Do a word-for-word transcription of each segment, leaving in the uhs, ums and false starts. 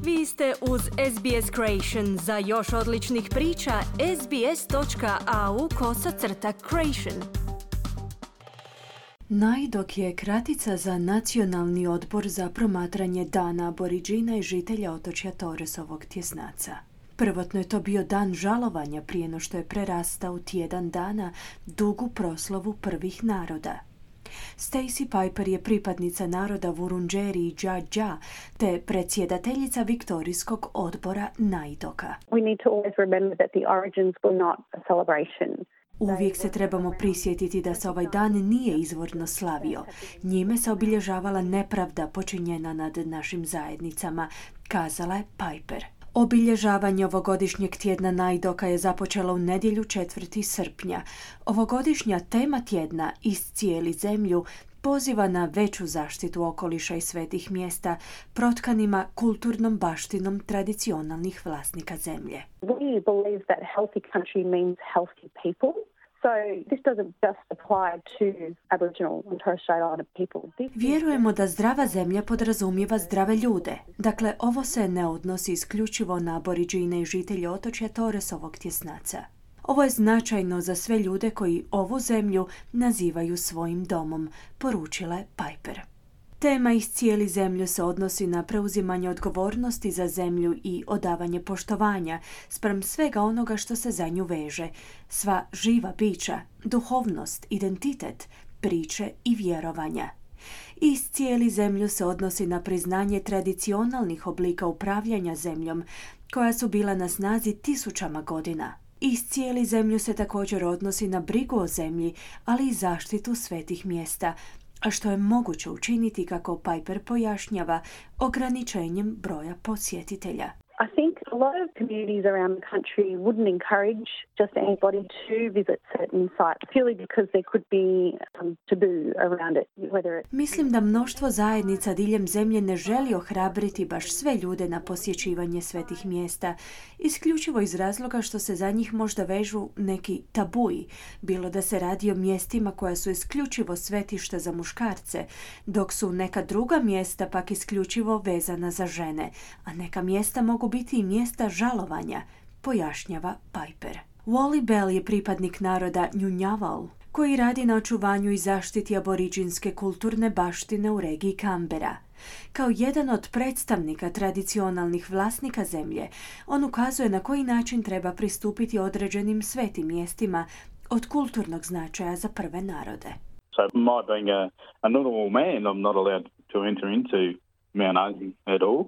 Vi ste uz S B S Creation. Za još odličnih priča, sbs.au kosacrta creation. NAIDOC je kratica za Nacionalni odbor za promatranje dana aboriđina i žitelja otočja Torresovog tjesnaca. Prvotno je to bio dan žalovanja prije no što je prerastao u tjedan dana dugu proslavu prvih naroda. Stacey Piper je pripadnica naroda Wurundjeri i Dja-Dja te predsjedateljica Viktorijskog odbora NAIDOC-a. We need to always remember that the origins were not a celebration. Uvijek se trebamo prisjetiti da se ovaj dan nije izvorno slavio. Njime se obilježavala nepravda počinjena nad našim zajednicama, kazala je Piper. Obilježavanje ovogodišnjeg tjedna NAIDOC-a je započelo u nedjelju četvrtog srpnja. Ovogodišnja tema tjedna Iscijeli zemlju poziva na veću zaštitu okoliša i svetih mjesta protkanima kulturnom baštinom tradicionalnih vlasnika zemlje. We believe that healthy country means healthy people. So this doesn't just apply to Aboriginal and Torres Strait Islander people. This Vjerujemo da zdrava zemlja podrazumijeva zdrave ljude. Dakle, ovo se ne odnosi isključivo na aboriđine i žitelje otočja Torresovog tjesnaca. Ovo je značajno za sve ljude koji ovu zemlju nazivaju svojim domom, poručila je Piper. Tema Iscijeli zemlju se odnosi na preuzimanje odgovornosti za zemlju i odavanje poštovanja spram svega onoga što se za nju veže, sva živa bića, duhovnost, identitet, priče i vjerovanja. Iscijeli zemlju se odnosi na priznanje tradicionalnih oblika upravljanja zemljom koja su bila na snazi tisućama godina. Iscijeli zemlju se također odnosi na brigu o zemlji, ali i zaštitu svetih mjesta, a što je moguće učiniti, kako Piper pojašnjava, ograničenjem broja posjetitelja. I think a lot of communities around the country wouldn't encourage just anybody to visit certain sites purely because there could be some taboo around it. Whether it... Mislim da mnoštvo zajednica diljem zemlje ne želi ohrabriti baš sve ljude na posjećivanje svetih mjesta, isključivo iz razloga što se za njih možda vežu neki tabuji, bilo da se radi o mjestima koja su isključivo svetišta za muškarce, dok su neka druga mjesta pak isključivo vezana za žene, a neka mjesta mogu biti i mjesta žalovanja, pojašnjava Piper. Wally Bell je pripadnik naroda Ngunnawal, koji radi na očuvanju i zaštiti aboriđinske kulturne baštine u regiji Canberra. Kao jedan od predstavnika tradicionalnih vlasnika zemlje, on ukazuje na koji način treba pristupiti određenim svetim mjestima od kulturnog značaja za prve narode. So my being a, a normal man, I'm not allowed to enter into Mount Argy at all.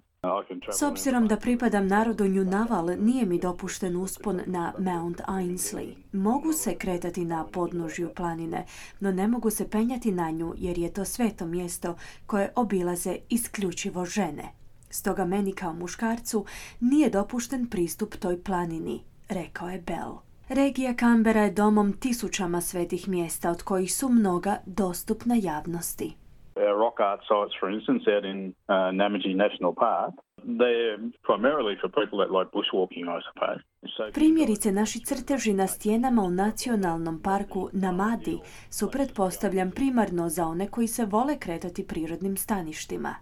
S obzirom da pripadam narodu Ngunnawal, nije mi dopušten uspon na Mount Ainslie. Mogu se kretati na podnožju planine, no ne mogu se penjati na nju jer je to sveto mjesto koje obilaze isključivo žene. Stoga meni kao muškarcu nije dopušten pristup toj planini, rekao je Bell. Regija Canberra je domom tisućama svetih mjesta, od kojih su mnoga dostupna javnosti. Our rock art sites, for instance, out in uh, Namadgi National Park, they're primarily for people that like bushwalking, I suppose. So... Primjerice, naši crteži na stijenama u nacionalnom parku Namadi su, pretpostavljam, primarno za one koji se vole kretati prirodnim staništima.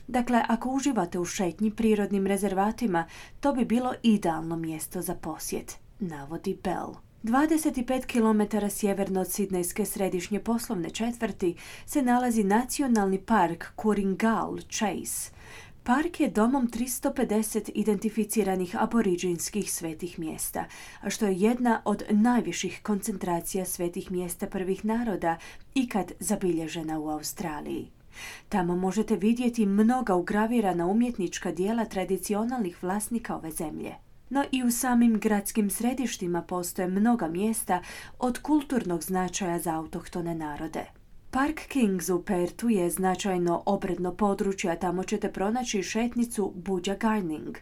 Dakle, ako uživate u šetnji prirodnim rezervatima, to bi bilo idealno mjesto za posjet, navodi Bell. dvadeset pet kilometara sjeverno od sidnejske središnje poslovne četvrti se nalazi nacionalni park Ku-ring-gal Chase. Park je domom tristo pedeset identificiranih aboriđinskih svetih mjesta, a što je jedna od najviših koncentracija svetih mjesta prvih naroda ikad zabilježena u Australiji. Tamo možete vidjeti mnoga ugravirana umjetnička dijela tradicionalnih vlasnika ove zemlje. No i u samim gradskim središtima postoje mnoga mjesta od kulturnog značaja za autohtone narode. Park Kings u Perthu je značajno obredno područje, a tamo ćete pronaći šetnicu Budja Garning.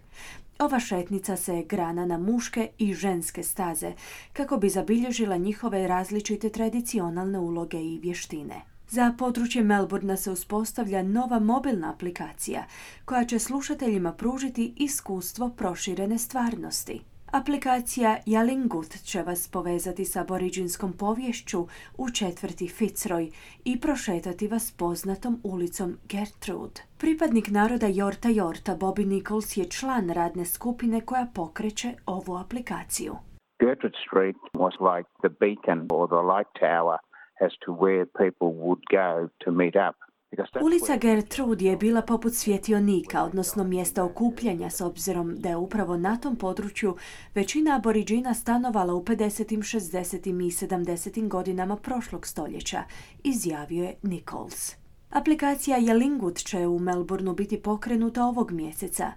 Ova šetnica se grana na muške i ženske staze kako bi zabilježila njihove različite tradicionalne uloge i vještine. Za područje Melbourna se uspostavlja nova mobilna aplikacija koja će slušateljima pružiti iskustvo proširene stvarnosti. Aplikacija Yalingut će vas povezati s aboriđinskom poviješću u četvrti Fitzroy i prošetati vas poznatom ulicom Gertrude. Pripadnik naroda Yorta Yorta Bobby Nichols je član radne skupine koja pokreće ovu aplikaciju. Gertrude Street was like the beacon or the light tower as to where people would go to meet up. Ulica Gertrude je bila poput svjetionika, odnosno mjesta okupljanja, s obzirom da je upravo na tom području većina aboriđina stanovala u pedesetim, šezdesetim i sedamdesetim godinama prošlog stoljeća, izjavio je Nichols. Aplikacija Yalingut će u Melbourneu biti pokrenuta ovog mjeseca.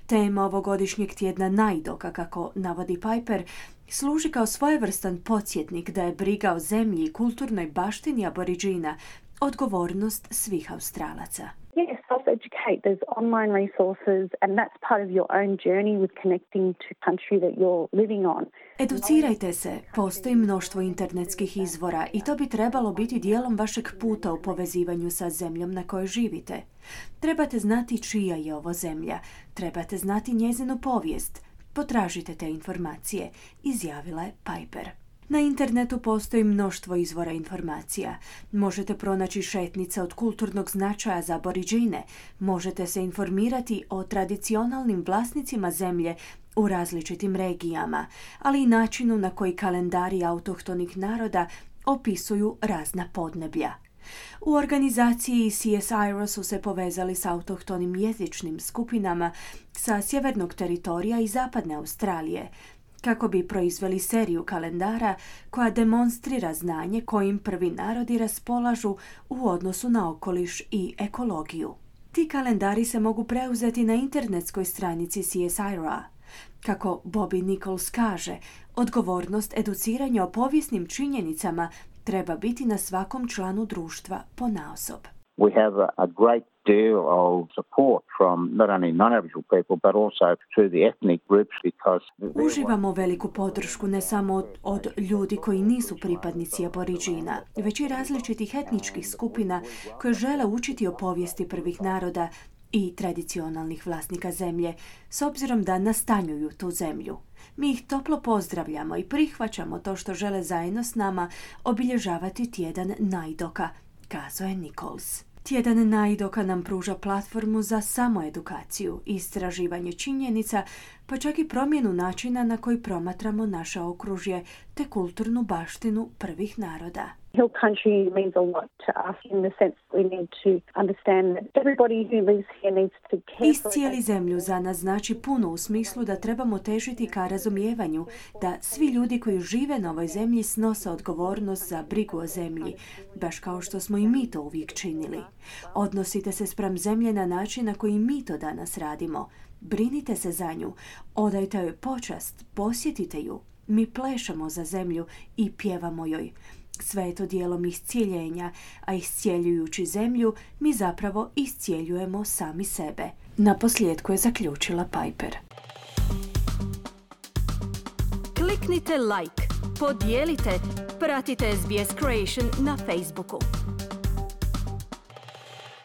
Tema ovogodišnjeg tjedna najdoka, kako navodi Piper, služi kao svojevrstan podsjetnik da je briga o zemlji i kulturnoj baštini aboriđina odgovornost svih Australaca. Yes, self-educate. There's online resources and that's part of your own journey with connecting to country that you're living on. Educirajte se, postoji mnoštvo internetskih izvora i to bi trebalo biti dijelom vašeg puta u povezivanju sa zemljom na kojoj živite. Trebate znati čija je ovo zemlja, trebate znati njezinu povijest. Potražite te informacije, izjavila je Piper. Na internetu postoji mnoštvo izvora informacija. Možete pronaći šetnice od kulturnog značaja za aboriđine, možete se informirati o tradicionalnim vlasnicima zemlje u različitim regijama, ali i načinu na koji kalendari autohtonih naroda opisuju razna podneblja. U organizaciji C S I R O su se povezali s autohtonim jezičnim skupinama sa sjevernog teritorija i zapadne Australije, kako bi proizveli seriju kalendara koja demonstrira znanje kojim prvi narodi raspolažu u odnosu na okoliš i ekologiju. Ti kalendari se mogu preuzeti na internetskoj stranici C S I R O-a. Kako Bobby Nichols kaže, odgovornost educiranja o povijesnim činjenicama treba biti na svakom članu društva ponaosob. We have a, a great deal of support from not only non-Aboriginal people but also through the ethnic groups because Uživamo veliku podršku ne samo od, od ljudi koji nisu pripadnici aboriđina, već i različitih etničkih skupina koje žele učiti o povijesti prvih naroda i tradicionalnih vlasnika zemlje, s obzirom da nastanjuju tu zemlju. Mi ih toplo pozdravljamo i prihvaćamo to što žele zajedno s nama obilježavati tjedan najdoka, kazao je Nichols. Tjedan najdoka nam pruža platformu za samoedukaciju, istraživanje činjenica, pa čak i promjenu načina na koji promatramo naše okružje te kulturnu baštinu prvih naroda. Hill country means a lot to us in the sense that we need to understand that everybody who lives here needs to care for it. Iscijeli zemlju za nas znači puno u smislu da trebamo težiti ka razumijevanju da svi ljudi koji žive na ovoj zemlji snose odgovornost za brigu o zemlji, baš kao što smo i mi to uvijek činili. Odnosite se spram zemlje na način na koji mi to danas radimo. Brinite se za nju, odajte joj počast, posjetite ju. Mi plešemo za zemlju i pjevamo joj. Sve je to dijelom iscijeljenja, a iscijeljujući zemlju, mi zapravo iscijeljujemo sami sebe. Naposljetku je zaključila Piper. Kliknite like, podijelite, pratite S B S Creation na Facebooku.